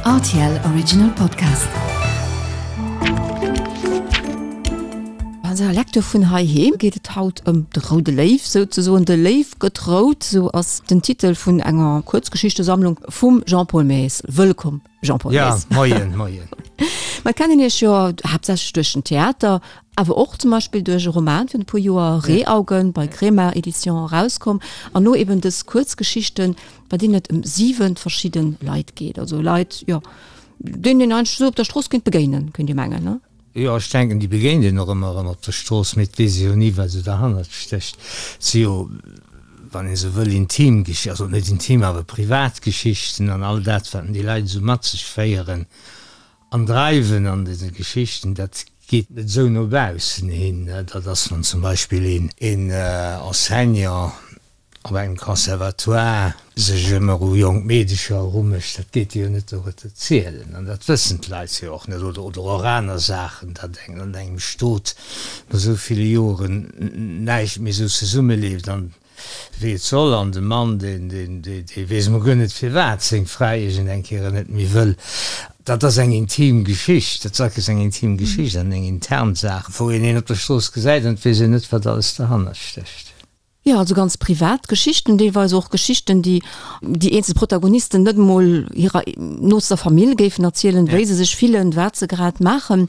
Rtl Original Podcast. An eiser Lecture vun heiheem geet et haut ëm de roude Léiw, souzesoen. De Léiw gëtt rout, sou ass den Titel vun enger Kuerzgeschichtesammlung vum Jean-Paul Maes. Wëllkomm, Jean-Paul Maes. Ja, moien, moien. Mer kennen Iech jo haaptsächlech duerch den Theater, awer och zum Beispill duerch e Roman virun e puer Joer, Reeaugen, bei Kremart Edition erauskomm, an lo eben dës Kuerzgeschichten, bei deenen et ëm 7 verschidde Leit geet, also Leit, jo, deenen een eigentlech esou op der Strooss kéint begéinen, kéint ee mengen, ne? Jo, ech denken, déi begéint een och ëmmer erëm op der Strooss, mee et weess ee jo ni, wat esou derhannert stécht. Et si jo, wann ee sou wëll, intim Geschichten, also net intim, awer privat Geschichten an all dat, wat déi Leit esou mat sech féieren an dreiwen an dëse Geschichten, dat geet net esou no baussen hin. Dat ass, wann zum Beispill een Enseignant op engem Conservatoire sech ëmmer u jonk Meedecher erumécht, dat geet jo net door et erzielen an dat wëssen d'Leit jo och net, oder oder och aner Saachen, datt eng an engem Stot no esou ville Joren näischt méi esou zesummeleeft an wéi et soll an de Mann, deen deen dee weess emol guer net firwat seng Fra iergend eng Kéier net méi wëll. Dat ass eng intim Geschicht, dat ass eng intim Geschicht an eng intern Saach, wou een een op der Strooss gesäit an et weess een net, wat alles derhannert stécht. Jo, also ganz privat Geschichten, deelweis och Geschichten, déi déi eenzel Protagonisten net emol hirer nooster Famill géifen erzielen, wéi se sech fillen, wat se grad maachen.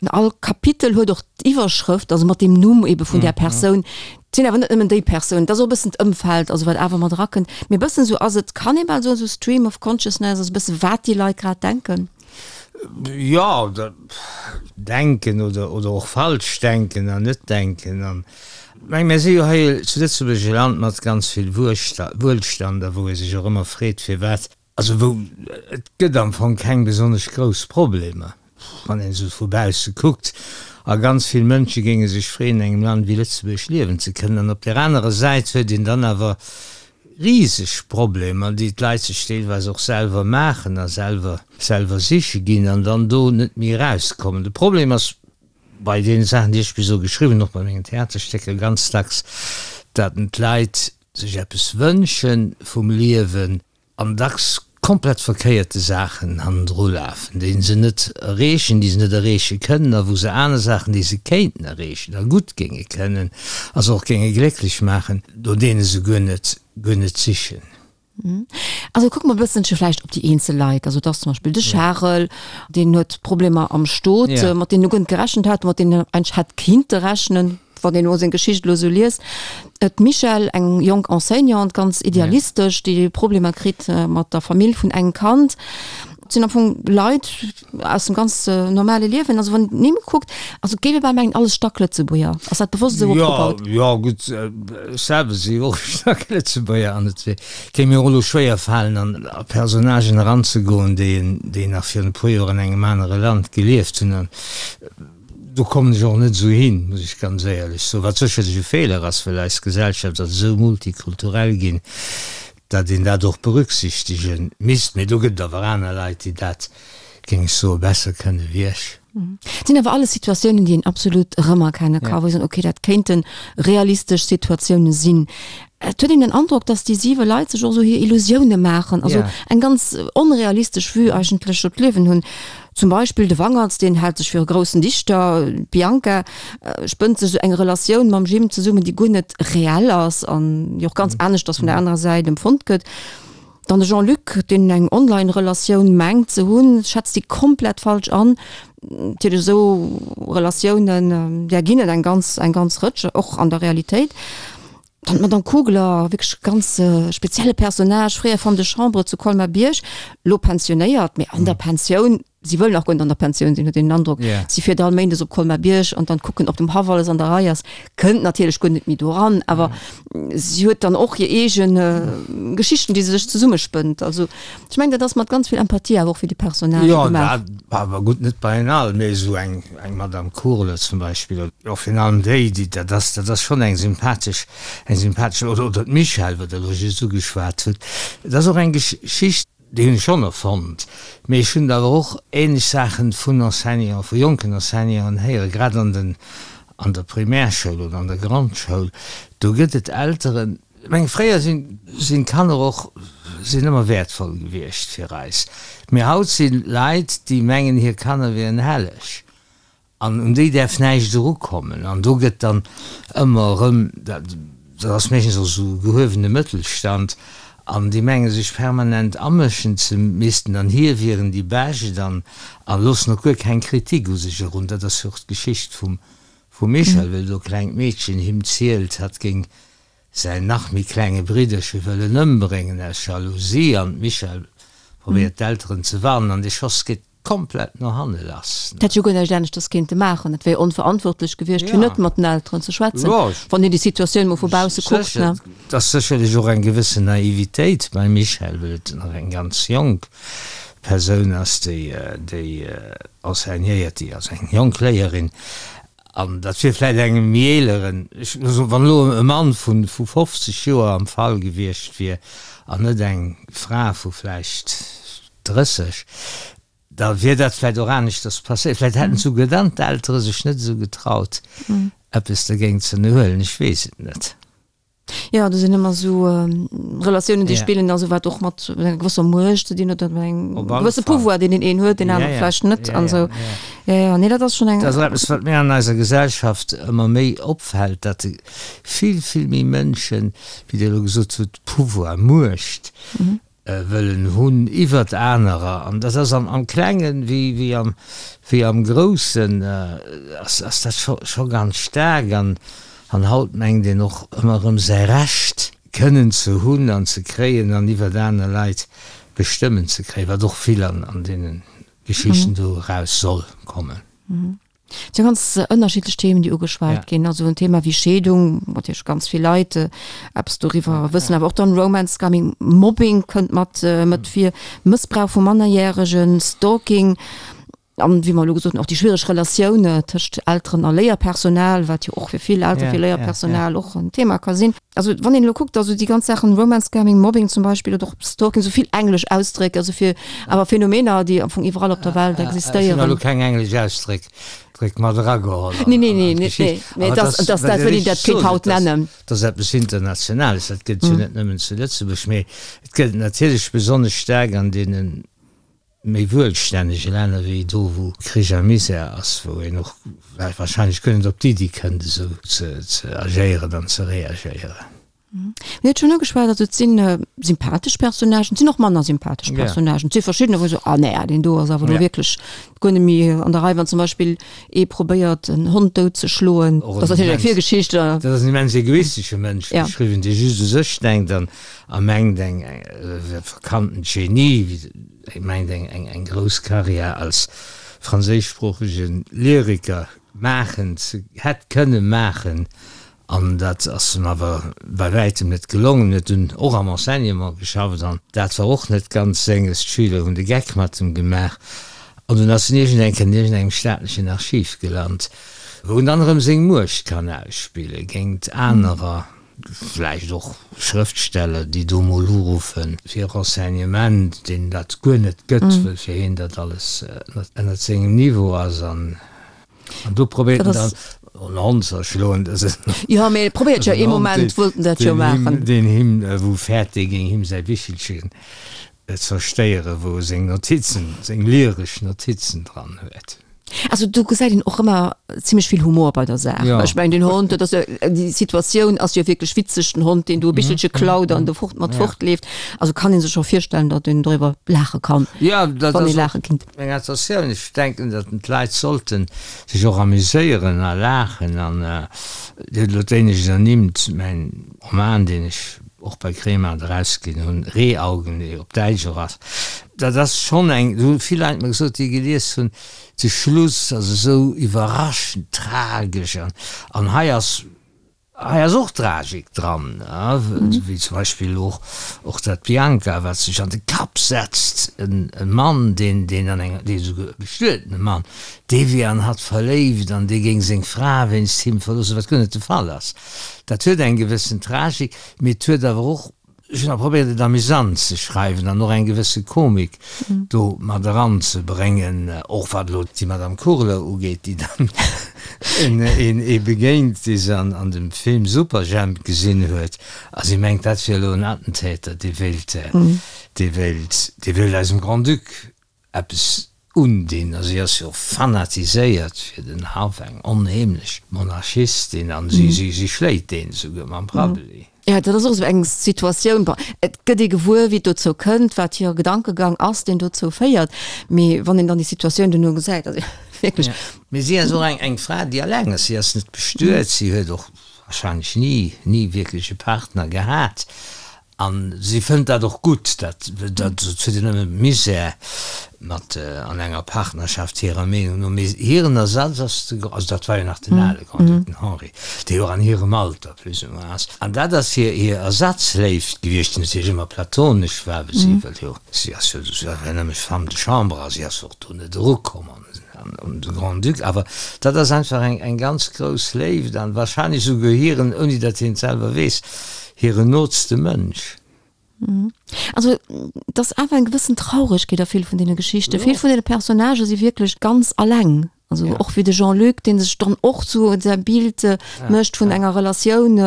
All Kapitel huet och d'Iwwerschrëft, also mat deem Numm ebe vun där Persoun. Et sinn awer net nëmmen déi Persoun, et ass och e bëssen d'Ëmfeld, also wat awer mat erakënnt. Mee e bëssen esou ass et, kann ee bal soen, esou Stream of Consciousness, also e bësse wat déi Leit grad denken. Jo, denken oder oder och falsch denken an net denken an meng mir si jo hei zu Lëtzebuerg e Land mat ganz vill Wuelstand a wou ee sech och ëmmer freet firwat, also wou et gëtt am Fong keng besonnesch grouss Problemer wann een esou vu bausse kuckt a ganz vill Mënsche géinge sech freeën an engem Land wéi Lëtzebuerg liewen ze kënnen an op där anerer Säit huet een dann awer riseg Problemer, déi d'Leit sech deelweis och selwer maachen a selwer selwer siche ginn an dann do net méi erauskommen. De Problem ass bei deene Saachen, déi ech bis elo geschriwwen hunn, och bei mengen Theaterstécker ganz dacks, datt d'Leit sech eppes wënsche vum Liewen an dacks komplett verkéierte Saachen hannendru lafen, déi se net erreechen, déi se net erreeche kënnen a wou se aner Saachen, déi se kéinten erreechen a gutt géinge kënnen a se och géinge glécklech maachen, no deene se guer net, guer net sichen. Also kucke mer e bësselche vläicht op déi eenzel Leit. Also et ass zum Beispill de Charel, deen huet Problemer am Stot, mat deenen e guer net gerechent hat, mat deenen en eigentlech hätt kinnte rechnen. Wann een elo seng Geschicht elo esou liest, d'Michèle, eng jonk Enseignante, ganz idealistesch, déi Problemer kritt mat der Famill vun engem Kand. Et sinn am Fong Leit aus dem ganz normale Liewen. Also wann een d'Nimm kuckt, also et géif ee bal mengen, alles Stacklëtzebuerger. Ass dat bewosst esou opgebaut? Jo, jo, gutt, ech selwer si jo och Stacklëtzebuerger an et géing mir och elo schwéier falen, an a Personnagen eranzegoen, déi déi nach virun e puer Joer an engem anere Land gelieft hunn. An Do kommen ech och net esou hin, muss ech ganz éierlech soen, wat sécherlech e Feeler ass, well eis Gesellschaft ass esou multikulturell ginn, datt een dat och berücksichtege misst. Mee do gëtt et awer aner Leit, déi dat, géing ech soen, besser kënne wéi ech. Et sinn awer alles Situatiounen, déi een absolut erëmerkenne ka, wou ee soen, okay, dat kéinte realistesch Situatioune sinn. Et huet een den Androck, datt déi siwe Leit sech och esou hir Illusioune maachen, also eng ganz onrealistesch Vue eigentlech op d'Liewen hunn. Zum Beispill de Wangerts, deen hält sech fir e groussen Dichter, d'Bianca spënnt sech esou eng Relatioun mam Jim zesummen, déi guer net reell ass an déi och ganz aneschters vun der anerer Säit empfonnt gëtt. Dann de Jean-Luc, deen eng Online-Relatioun mengt ze hunn, schätzt déi komplett falsch an. Natierlech esou Relatiounen, där ginn et eng ganz, eng ganz Rëtsch, och an der Realitéit. Dann d'Madame Kugler, wierklech ganz spezielle Personnage, fréier Femme de chambre zu Colmar-Bierg, lo pensionéiert, mee an der Pensioun, si wëll nach guer net an der Pensioun sinn, huet een den Androck, si fiert all Méindes op Colmar-Bierg an dann kucken, ob dem Haff alles an der Rei ass, kënnt natierlech guer net méi do eran, awer si huet dann och hir eege Geschichten, déi se sech zesummespënnt. Also ech mengen, dat ass mat ganz vill Empathie awer och fir déi Personnagë gemaach. Jo, dat awer gutt, net bei en all, mee esou eng. Eng Madame Kurle zum Beispill, oder och virun allem déi, déi, dat ass, dat ass schonn eng sympathesch, eng sympathesch, oder, oder d'Michèle, wat Der elo just ugeschwat hutt. Et ass och eng Geschicht, déi hunn ech schonn erfonnt, mee ech hunn awer och ähnlech Saachen vun Enseignanten, vu jonken Enseignanten héieren, grad an den, an der Primärschoul oder an der Grondschoul, do gëtt et Elteren, Ech mengen, fréier sinn, sinn d'Kanner och. sinn ëmmer wäertvoll gewiescht fir eis. Mee haut si Leit, déi mengen, hir Kanner wieren helleg an un déi däerf näischt erukommen. An do gëtt dann ëmmer erëm, dat ass meeschtens och esou gehuewene Mëttelstand, an déi menge sech permanent amëschen ze missten an hir wieren déi Bescht an a loossen och guer keng Kritik u sech erun. Dat ass jo och d'Geschicht vum Michel, wéi do klengt Meedchen him zielt, hatt géing säin nach méi klenge Bridderche wëllen ëmbréngen aus Jalousie an d'Michèle probéiert d'Elteren ze warnen an de Schoss geet komplett no hanne lass. Hätt jo guer näischt aneschters kéinte maachen. Et wär jo onverantwortlech gewiescht fir net mat den Elteren ze schwätzen, wann een déi Situatioun mol vu bausse kuckt, ne? Et ass sécherlech och eng gewëssen Naivitéit beim Michèle, well et nach eng ganz jonk Persoun ass, déi déi enseignéiert, déi ass eng jonk Léierin An dat wier vläicht engem méi eeleren, ech soen, wann elo e Mann vu 50 Joer am Fall gewiescht wier an net eng Fra vu vläicht 30, da wier dat vläicht och aneschters passéiert. Vläicht hätten souguer dann d'Eltere sech net esou getraut, eppes dergéint ze ënnerhuelen. Ech weess et net. Jo, do sinn ëmmer esou Relatiounen, déi spillen, also wat och mat enger gewësser Muecht ze dinn huet, oder engem gewësse Pouvoir, deen deen een huet, deen anere vläicht net an esou. Jo, jo, nee, dat ass schonn eng. Dat ass eppes, wat mir an eiser Gesellschaft ëmmer méi opfält, datt vill, vill méi Mënschen, wéi Dir elo gesot hutt, Pouvoir, Muecht wëllen hunn iwwert anerer, an dat ass am Klengen wéi am wéi am Groussen ass ass dat scho scho ganz staark an an haut mengt een och ëmmer erëm säi Recht kënnen ze hunn an ze kréien an iwwert aner Leit bestëmmen ze kréien, wat och vill an an deene Geschichten do eraus soll kommen. Et si ganz ënnerschiddlech Themen, déi ugeschwat ginn. Also en Thema wéi Scheedung, wou natierlech ganz vill Leit eppes doriwwer wëssen, awer och dann Romance Scamming, Mobbing kënnt mat mat vir, Mëssbrauch vu Mannerjäregen, Stalking an, wéi mer elo gesot hunn, och déi schwiereg Relatioun tëscht Elteren a Léierpersonal, wat jo och fir vill Elteren, fir Léierpersonal och en Thema ka sinn. Also wann een elo kuckt, also déi ganz Saachen, Romance Scamming, Mobbing zum Beispill oder och Stalking, esou vill englesch Ausdréck, also fir awer Phänomener, déi am Fong iwwerall op der Welt existéieren. Ech hunn elo keng englesch Ausdréck Dréck mat erageholl an d'Geschicht. Nee, nee, nee, et ass dat, wéi een dat kéint haut nennen. Dat ass eppes Internationales, dat gëtt jo net nëmmen zu Lëtzebuerg, mee et gëtt et natierlech besonnesch staark an deene méi wuelstännege Länner wéi do wou Krich a Misär ass, wou een och wahrscheinlech guer net op d'Iddi kënnt esou ze agéieren an ze reagéieren. Mir huet schonn ugeschwat, also et si sympathesch Personnagen, et sinn och manner sympathesch Personnagen. Et si verschiddener wou ech soen, ah nee, deen do ass awer elo wierklech guer net méi an der Rei. Wann zum Beispill ee probéiert en Hond dout ze schloen, dat ass natierlech eng Virgeschicht. Dat ass en immens egoistesche Mënsch beschriwwen, dee just u sech denkt an a mengt eng verkanntent Genie, wéi mengt eng eng grouss Karriär als franséischsproochege Lyriker maachen ze hätt kënne maachen, an dat ass em awer bei wäitem net gelongen. Huet dunn och am Enseignement geschafft an dat war och net ganz senges, d'Schüler hunn de Geck mat em gemaach an dunn ass en iergend eng Kéier an iergendengem staatlechen Archiv gelant, wou en dann erëm seng Muecht kann ausspille géint anerer. Vläicht och Schrëftsteller, déi do mol uruffe fir Renseignement, deen dat guer net gëtt, well fir hien dat alles ënnert sengem Niveau ass. An do probéiert en dann en Hond ze erschloen. Dat ass en Jo, mee e probéiert jo ee Moment, wollt en dat jo maachen. Deen him, wou fäert, dee géing him säi Bichelchen zerstéieren, wou e seng Notizen, seng lyresch Notizen dran huet. Also do gesäit een och ëmmer zimmlech vill Humor bei der Saach. Ja. Ech mengen den Hond, dat ass jo, déi Situatioun ass jo wierklech witzeg, den Hond, deen do e Bichelche klaut an do fort mat ja. fortleeft. Also kann ee sech scho virstellen, datt een doriwwer laache kann. Ja, dat wann ee laache kinnt. Meng Intentioun, ech denken, datt d'Leit sollten sech och amuséieren a laachen an Dir hutt elo d'éinescht ernimmt, mäin Roman, deen ech och bei Kremart erausginn hunn, Rehaugen, dee op Däitsch och ass, dat ass schonn eng, do hu vill Leit mer gesot, déi e gelies hunn, de Schluss ass esou iwwerraschend tragesch an, an hei ass, hei ass och Tragik dran, wéi zum Beispill och, och dat Bianca, wat sech an de Kapp setzt, en Mann, deen, deen an enger, dee souguer e bestuetene Mann, dee wier an hatt verléift an dee géing seng Fra wéinst him verloossen, wat guer net de Fall ass. Dat huet eng gewëssen Tragik, mee et huet awer och, ech hunn awer probéiert et amüsant ze schreiwen an och eng gewësse Komik do mat eranzebréngen, och wat elo déi Madame Kurler ugeet, déi dann een ee begéint, dee se an dem Film Superjhemp gesinn huet a si mengt, dat wier elo en Attentäter, dee wéilt. Dee wéilt, dee wéilt eisem Grand-Duc eppes undinn. A si ass jo fanatiséiert fir den Haff, eng onheemlech Monarchistin, an si, si, si schléit deen esouguer mam Prabbeli. Jo, dat ass och esou eng Situatioun, bon, et gëtt ee gewuer, wéi et dozou kënnt, wat hire Gedankegang ass, deen dozou féiert, mee wann een dann déi Situatioun duerno gesäit, also wierklech. Mee si ass och eng, eng Fra, déi alleng ass. Si ass net bestuet, si huet och warscheinlech ni, ni wierklech e Partner gehat. A si fënnt dat och gutt, dat dat huet een nëmme Misär mat an enger Partnerschaft hirer Meenung no. Mee hiren Ersatz ass de, also dat war jo nach den ale Grand-Duc, den Henri, dee jo och an hirem Alter plus ou moins ass. An dat ass hir hir Ersatzléift gewiescht, déi natierlech ëmmer platonesch war, well si wëll jo, si ass jo, si war jo nëmme Femme de chambre a si ass och do net erukomm an un de Grand-Duc. Awer dat ass einfach eng eng ganz grouss Léift an wahrscheinlech esouguer hiren, ouni datt hien et selwer weess, Hiren nootste Mënsch. Also et ass awer eng gewëssen Trauregkeet a vill vun deene Geschichten. Vill vun deene Personnagë si wierklech ganz alleng. Also och wéi de Jean-Luc, dee sech dann och sou säi Bild mécht vun enger Relatioun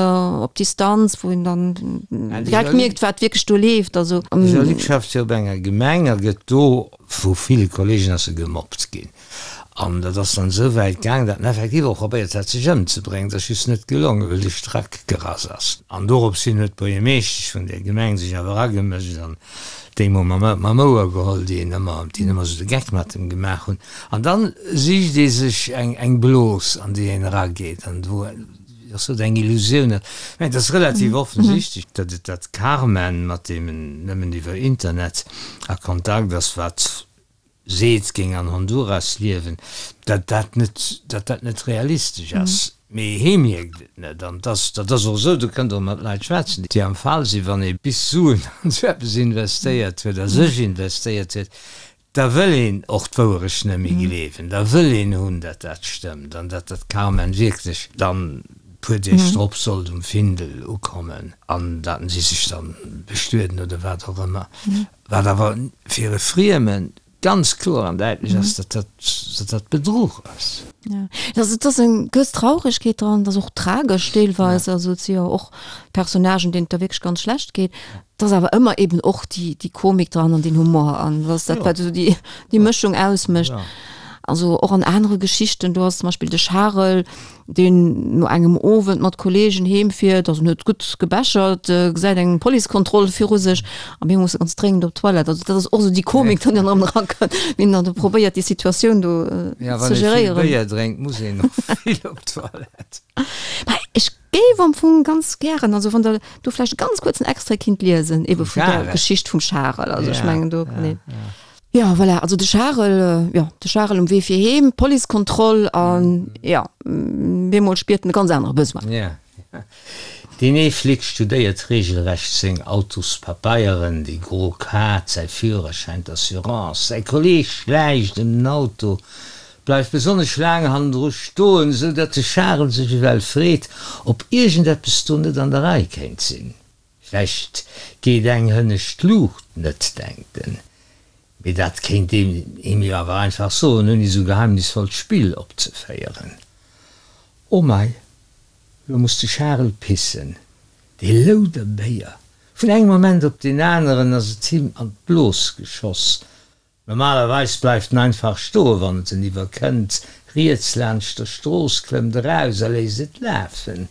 op Distanz, wou een dann direkt mierkt, wat wierklech do leeft. Also. De Jean-Luc schafft jo op enger Gemeng a gëtt do vu ville Kollegen ass e gemobbt ginn. An dat ass dann esou wäit gaang, datt en effektiv och probéiert hat, sech ëmzebréngen. Dat ass just net gelongen, well de Strack gerass ass. An doropshin huet d'Buergermeeschtesch vun där Gemeng sech awer agemëscht an déi mol mam Ouer geholl, déi en ëmmer, déi en ëmmer esou de Geck mat em gemaach hunn. An dann sicht ee sech eng, eng Blos, an déi een erageet an wou och sot, eng Illusioun ass. Ech mengen, et ass relativ offensichtlech, datt et dat Carmen, mat deem en nëmmen iwwer Internet a Kontakt ass, wat seet, géing an Honduras liewen, datt dat net, datt dat net realistesch ass. Mee hee mierkt et net. An dass, dat ass och esou, do kënnt Der och mat Leit schwätzen, déi am Fall sinn, wann ee bis Suen an esou eppes investéiert huet a sech investéiert huet, da wëll een och d'Wouerecht net méi gleewen, da wëll een hunn, datt dat stëmmt an datt dat Carmen wierklech dann e puer Deeg drop sollt um Findel ukommen an datt si sech dann bestueden oder wat och ëmmer. Wat awer fir e Frieme ganz kloer an däitlech ass, datt dat, datt dat Bedruch ass. Ja, also et ass eng gewëss Trauregkeet dran, et ass och tragesch deelweis, also et si jo och Personnagen, deenen et da wierklech ganz schlecht geet. Et ass awer ëmmer eben och déi, déi Komik dran an deen Humor an dat ass dat, wat esou déi, déi Mëschung ausmécht. Also och an anere Geschichten, do ass zum Beispill de Charel, deen no engem Owend mat Kollegen heem fiert, also en huet gutt gebechert, gesäit eng Policekontroll viru sech a mir musse ganz dréngend op d'Toilette. Also dat ass och esou déi Komik, déi dann erëm erakënnt, wéi en dann do probéiert déi Situatioun do ze geréieren. Ja, wann ee vill Béier drénkt, muss een och vill op d'Toilette. Mä ech géif am Fong ganz gären, also wann Der do vläicht e ganz kuerzen Extrait kinnt liesen, ebe vun der Geschicht vum Charel, also ech mengen do kann een. Jo, voilà, also de Charel, jo, de Charel um Wee fir heem, Policekontroll an jo, bemol spiert en e ganz anere Besoin. Ja, ja. Deen ee Flic studéiert regelrecht seng Autospapeieren, déi gro Kaart, säi Führerschäin, d'Assurance. Säi Kolleg schläicht ëm den Auto, bleift besonnesch laang hannendru stoen, esou datt de Charel sech ewell freet, ob iergendeppes do net an der Rei kéint sinn. Vläicht geet eng hënnescht Luucht net, denkt en. Mee dat kéint een him jo awer einfach soen, ouni esou geheimnisvollt Spill opzeféieren. Oh mei, lo muss de Charel pissen, dee Louderbéier! Vun engem Moment op deen aneren ass et him an d'Blos geschoss. Normalerweis bleift en einfach stoen, wann et en iwwerkënnt, riets laanscht der Strooss, klëmmt eraus a léisst et lafen.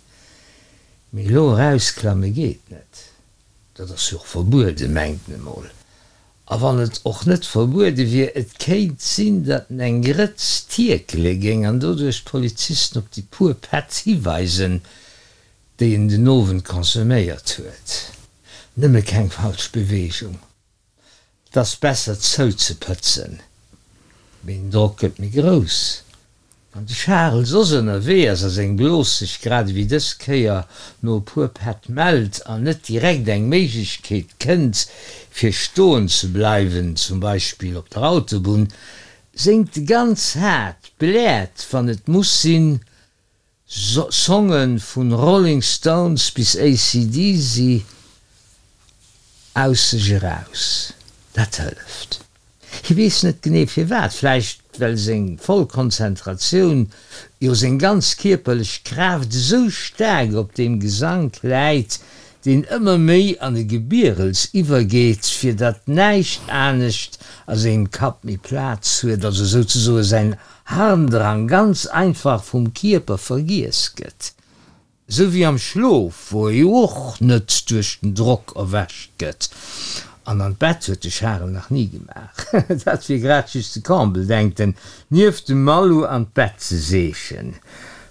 Mee elo erausklamme geet net, dat ass jo och verbueden, mengt en emol. A wann et och net verbuede wier, et kéint sinn, datt en eng Grëtz tierkele géing an doduerch d'Polizisten op déi puer Pätt hiweisen, déi en den Owend consomméiert huet. Nëmme keng falsch Beweegung. 't ass besser zouzepëtzen, mee den Drock gëtt méi grouss, wann de Charel soss ënnerwee ass a seng Blos sech grad ewéi dës Kéier no e puer Pätt mellt an net direkt eng Méiglechkeet kënnt fir stoen ze bleiwen, zum Beispill op der Autobunn, séngt e ganz haart, bläert wann et muss sinn, Songen vun Rolling Stones bis AC/DC aus sech eraus. Dat hëlleft. Hie weess net genee firwat, vläicht well seng voll Konzentratioun, jo seng ganz kierperlech Kraaft esou staark op deem Gesank läit. deen ëmmer méi an e Gebierels iwwergeet, fir datt näischt anescht a sengem Kapp méi Plaz huet, also souzesoe säin Harndrang ganz einfach vum Kierper vergiess gëtt. Esou wéi am Schlof, wou e jo och net duerch den Drock erwächt gëtt. An an d'Bett huet de Charel nach ni gemaach. Dat wier grad just de Comble, denkt en, nieft dem Malou an d'Bett ze seechen.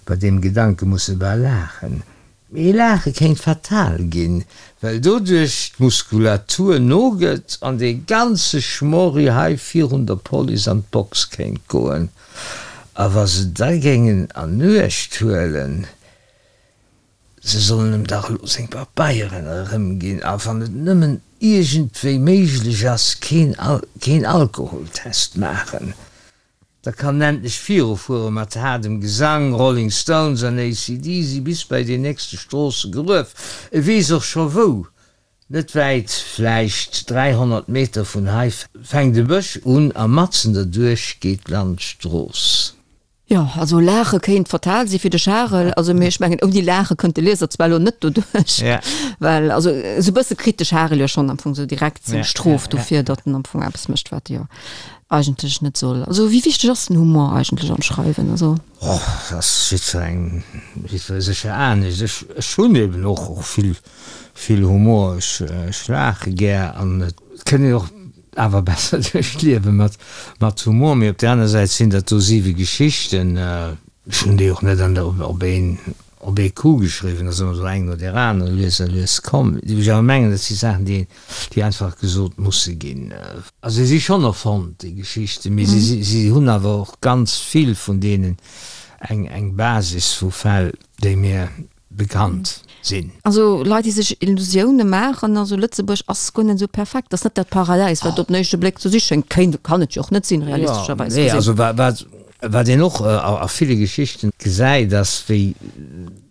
Bei deem Gedanke muss e bal laachen. Mee laache kéint fatal ginn, well doduerch d'Muskulatur nogëtt an dee ganze Schmorri hei virun der Police an d'Box kéint goen. A wa se da géingen an Uecht huelen, se sollen em dach elo seng Pabeieren erëmginn a wann et nëmmen iergendwéi méiglech ass, keen keen Alkoholtest maachen, da kann en endlech virufuere mat haardem Gesang, Rolling Stones an AC/DC bis bei deen nächste Stroossegruef. E weess och scho wou. Net wäit, vläicht 300 Meter vun hei, fänkt e Bësch un a matzen derduerch geet d'Landstrooss. Jo, also laache kéint fatal si fir de Charel, also mee ech mengen ouni laache kënnt de Lieser zwar elo net doduerch, well also esou e bësse kritt de Charel jo schonn am Fong esou direkt seng Strof dofir, datt en am Fong eppes mécht, wat e jo eigentlech net soll. Also wéi wichteg ass den Humor eigentlech am Schreiwen? Also. Oh, dat ass jiddwerengem, jiddweree sécher anescht. Ech, ech hunn eben och och vill Vill Humor, ech laache gär an et kënnt een och awer besser duerch d'Liewe mat Humor. Mee op där aner Säit sinn dat do siwe Geschichten, ech hunn déi och net an der op een op ee Coup geschriwwen, dat ass ëmmer esou eng no där aner lues a lues komm. Déi ech awer mengen, dat si Saachen, déi déi einfach gesot musse ginn. Also se si schonn erfonnt, déi Geschichten, mee si si hunn awer och ganz vill vun deenen eng eng Basis vu Fäll, déi mir bekannt sinn. Also Leit déi sech Illusioune maachen, also Lëtzebuerg ass guer net esou perfekt, ass net dat Paradäis wat op den éischte Bléck ze si schéngt, kéint, kann et jo och net sinn realistescherweis gesinn. Also wat wat een och a ville Geschichten gesäit ass, wéi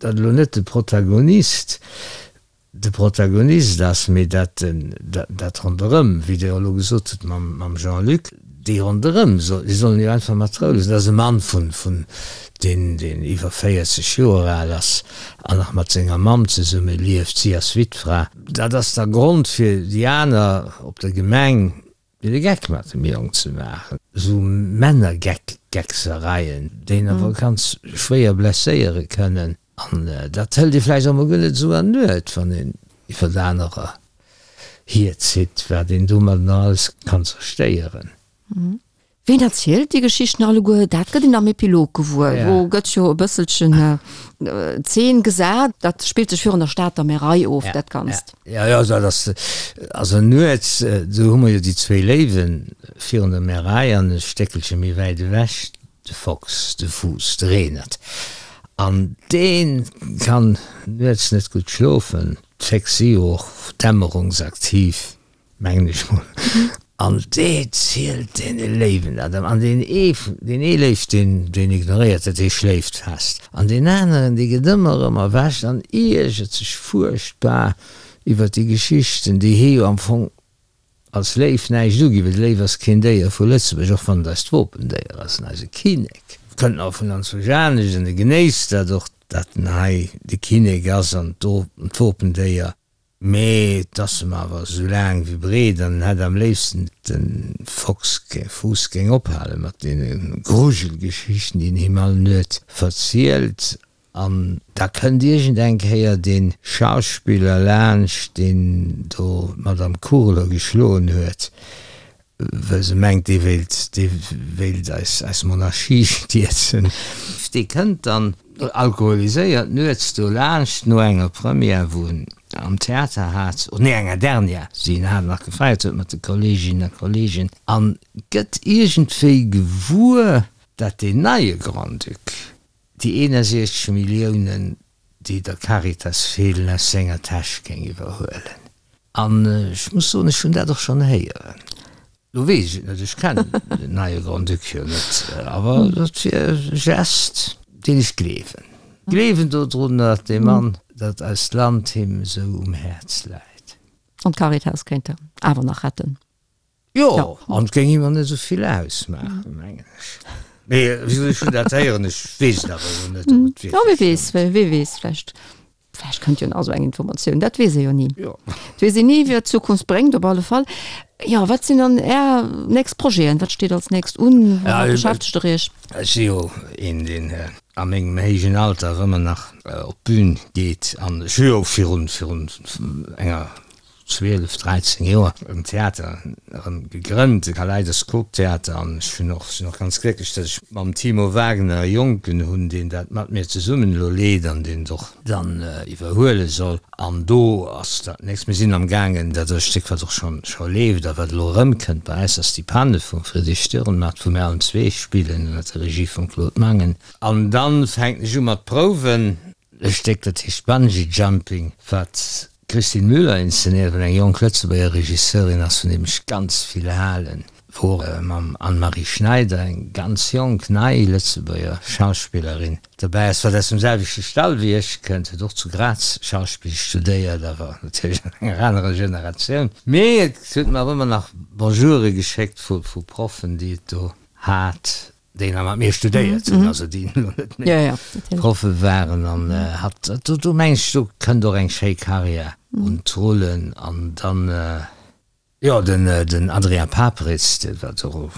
datt elo net de Protagonist de Protagonist ass, mee dat dat ronderëm, wéi Der elo gesot hutt mam Jean-Luc, déi ronderëm, déi sollen jo einfach mat Rou loossen. Dat ass e Mann vun, vun deen, deen iwwer 40 Joer al ass an nach mat senger Mamm zesumme lieft, si ass Wittfra. Dat ass da Grond fir déi aner op der Gemeng, fir de Geck mat dem Jong ze maachen. Esou Männergecksereien, déi een awer ganz schwéier blesséiere kënnen. An dat hëlt ee vläicht och mol guer net esou an Nuet, wann een iwwert anerer hierzitt, wat een domat nach alles kann zerstéieren. Ween erzielt déi Geschichten alleguer? Dat gëtt een am Epilog gewuer. Do gëtt jo e bësselchen Zeen gesat. Dat spillt sech virun der Stater Märei of, dat Ganzt. Jo, jo, dat ass also nuets, do hu mer jo déi zwéi Léiwen virun der Märei an e Stéckelche méi wäit ewech De Fox, de Fuuss, de Renert, an dee kann nuets net gutt schlofen. D'Féchs si jo och dämmerungsaktiv, mengen ech mol. An dee zielt deene Léiwen dat. An deen ee, deen ee Léif, deen, deen ignoréiert dat, dee schléift fest. An deen aneren, dee gëtt ëmmer erëm erwächt an iergert sech fuerchtbar iwwer déi Geschichten, déi hie jo am Fong Als Léiw näischt uginn, well de Léiw ass keen Déier vu Lëtzebuerg, och wann et eist Wopendéier ass an eise Kinnek kënnt nach vun anzwousch anescht an e genéisst dat och, datt en hei de Kinnek ass an d'Wopendéier, mee et ass em awer esou laang wéi breet an en hätt am léifsten de Fox Fuuss géing ophale mat deene Grujelgeschichten, déi en him all Nuet verzielt. An da kënnt iergend eng Kéier dee Schauspiller laanscht, deen do d'Madame Kurler geschloen huet, well se mengt, dee wéilt, dee wéilt eis, eis Monarchie stierzen. Dee kënnt dann alkoholiséiert nuets do laanscht, no enger Première, wou en am Theater hat, oh nee, enger Dernière, déi en hat nach gefeiert huet mat de Kolleeginnen a Kolleegen, a gëtt iergendwéi gewuer, dat deen neie Grand-Duc, déi 61 Milliounen, déi der Caritas feelen, aus senger Täsch géing iwwerhuelen. An ech muss soen, ech hunn dat och schonn héieren. Lo weess ech et net, ech kennen den neie Grand-Duc jo net, awer dat wier e Gest, deen ech gleewen. Gleewen dodrun, datt dee Mann, datt eist Land him esou um Häerz läit. An d'Caritas kéint en awer nach retten. Jo, an et géing him och net esou vill ausmaachen, mengen ech. Mee wéi gesot, ech hunn dat héieren, ech weess et awer elo net, ob et wierklech. Jo, wie weess, wie weess, vläicht. Vläicht kënnt jo nach esou eng Informatioun, dat weess ee jo ni. Jo. Et weess een ni, wat d'Zukunft bréngt, op alle Fall. Jo, wat sinn dann Är nächst Projeten? Wat steet als nächst un? Woumat beschäftegt Der Iech? Ech si jo een, deen a mengem héijen Alter ëmmer nach op d'Bün geet. An ech hu jo virun, virun enger 12, 13 Joer en Theater erëm gegrënnt, de Kaleidoskop Theater, an ech hunn och, sinn och ganz glécklech, datt ech mam Timo Wagner e Jonken hunn, deen dat mat mir zesummen elo leet an deen et och dann iwwerhuele soll. An do ass dat nächst, mir sinn am gaangen, dat ass e Stéck, wat och schonn scho leeft a wat elo erëmkënnt bei eis, ass Die Panne vum Friedrich Dürrenmatt, wou mir allen zwee spillen ënner der Regie vum Claude Mangen. An dann fänken ech u mat Prouwen, e Stéck, dat heescht Bungee Jumping, wat D'Christine Müller inszenéiert, wat eng jonk Lëtzebuerger Regisseurin ass, vun deem ech ganz vill halen, wou och mam Anne-Marie Schneider eng ganz jonk, nei Lëtzebuerger Schauspillerin dobäi ass, wat aus dem selwechte Stall wéi ech kënnt, huet och zu Graz Schauspill studéiert, awer natierlech an enger anerer Generatioun. Mee et huet mer awer ëmmer nach Bonjoure geschéckt vu Proffen, déi et do hat. déi nach mat mir studéiert hunn, also déi elo net méi Proffe waren an hat, do do mengen ech, do kënnt och eng schéi Karriär un d'Rullen. An dann, jo, den den Adrien Paperitz, dee wat och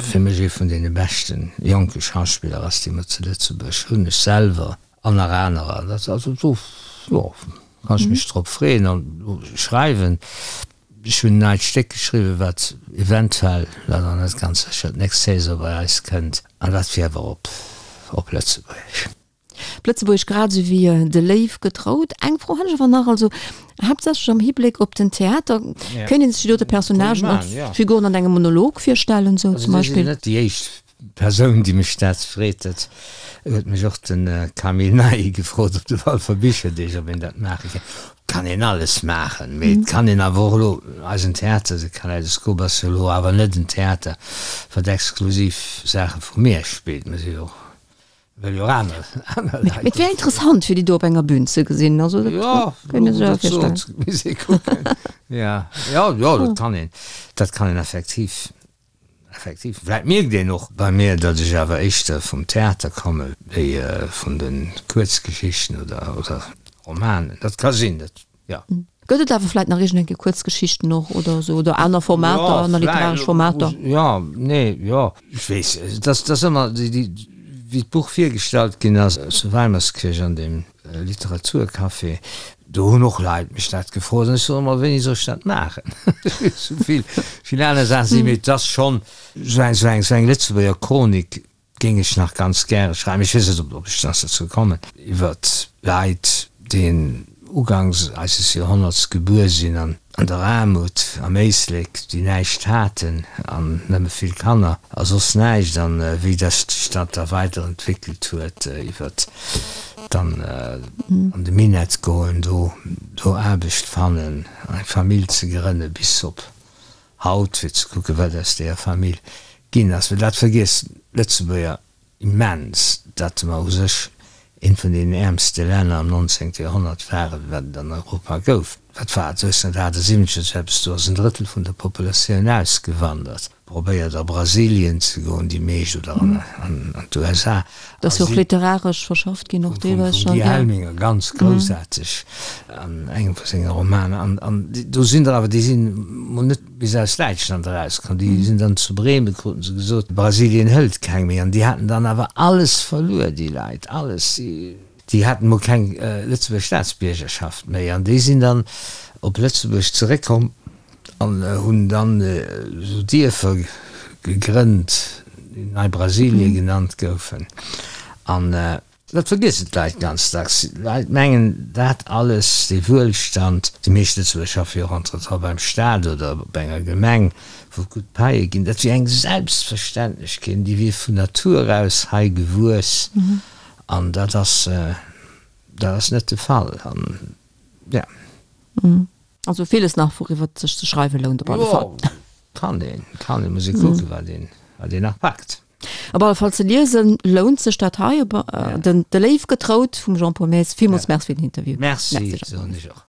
fir mech ee vun deene beschte jonke Schauspiller ass, déi mer zu Lëtzebuerg hunn, ech selwer an nach anerer, dat also do, jo, kann ech mech drop freeën an schreiwen. Ech hunn en neit Stéck geschriwwen, wat eventuell, dat ass net ganz sécher, d'nächst Saison bei eis kënnt, an dat wier awer op op Lëtzebuergesch. Op Lëtzebuergesch grad esou wéi De Léiw getraut. Eng Fro hätt ech awer nach, also haaptsächlech am Hibléck op den Theater, Kéint een sech déi dote Personnagen als Figuren an engem Monolog virstellen, esou zum Beispill? Also, dir sidd net déi éischt Persoun, déi mech dat freet. Dat huet mech och de Camille Ney gefrot op de Walfer Bicherdeeg, ob een dat maache kéint. Et kann een alles maachen, mee et kann een awer och elo, eisen Theater, de Kaleidoskop ass jo elo awer net en Theater, wat exklusiv Saache vu mir spillt. Mir si jo och, wëll jo och aner, aner Leit. Mee et wär interessant, fir déi do op enger Bühn ze gesinn. Also dat kéint ee sech awer virstellen. Jo, misst ee kucken. Jo, jo, jo, dat kann een, dat kann een effektiv. Effektiv. Vläit mierkt een och bei mir, datt ech awer éischter vum Theater komme wéi vun de Kuerzgeschichten oder Romanen. Dat ka sinn, dat, jo. Gëtt et awer vläit nach iergend eng Kéier Kuerzgeschichten och oder esou oder aner Formater, aner literaresch Formater? Jo, nee, jo. Ech weess, et ass ëmmer déi, wéi d'Buch virgestallt ginn ass zu Weimerskirch an deem Literaturcafé, do hunn och Leit mech dat gefrot an ech soen ëmmer, wéini soll ech dat maachen? Esou vill, vill aner Saachen sinn, mee et ass schonn esou eng, esou eng, esou eng Lëtzebuerger Chronik géing ech nach ganz gäre schreiwen, ech weess net, ob ech nach dozou kommen, iwwert Leit, déi ugangs eises Joerhonnerts gebuer sinn an an der Aarmut am Éislek, déi näischt haten an nëmme vill Kanner a soss näischt, an wéi dass sech dat da weiderentwéckelt huet iwwert dann an de Minett goen, do do Aarbecht fannen, eng Famill ze grënne bis op haut, fir ze kucken, wat aus deeër Famill ginn ass. Well dat vergiessen d'Lëtzebuerger Immens, datt mer u sech eent vun deenen äermste Länner am 19. Joerhonnert waren, wat et an Europa gouf. Wat war et, 1878 oder sou eppes, do ass en Drëttel vun der Populatioun ausgewandert, probéiert a Brasilien ze goen, déi meescht, oder an d'USA. Dat ass jo och literaresch verschafft ginn, och deelweis schonn. Vum Guy Helminger, ganz groussaarteg an engem vu senge Romaner. An do sinn der awer, déi sinn mol net bis aus Däitschland erauskomm, déi sinn dann zu Bremen, kruten se gesot, Brasilien hëlt keng méi. An déi haten dann awer alles verluer, déi Leit, alles. Déi haten emol keng Lëtzebuerger Staatsbiergerschaft méi. An déi sinn dann op Lëtzebuerg zeréckkomm an hunn dann esou Dierfer gegrënnt, déi Nei-Brasilie genannt goufen. An Dat vergiessen d'Leit ganz dacks. D'Leit mengen, dat alles, dee Wuelstand, déi meescht Lëtzebuerger schaffe jo och entretemps beim Staat oder op enger Gemeng, wou et gutt Paie ginn, dat wier eng Selbstverständlechkeet, déi wier vun Natur aus hei gewuess. An dat ass, dat ass net de Fall. An, ja. Also villes nach, wouriwwer et sech ze schreiwe lount op alle Fall. Jo, kann een, kann een, muss ee kucken, wat een, wat een nach packt. Op alle Fall ze liesen lount sech dat hei, den De Léiw getraut vum Jean-Paul Maes. Villmools Merci fir den Interview. Merci, soen ech och.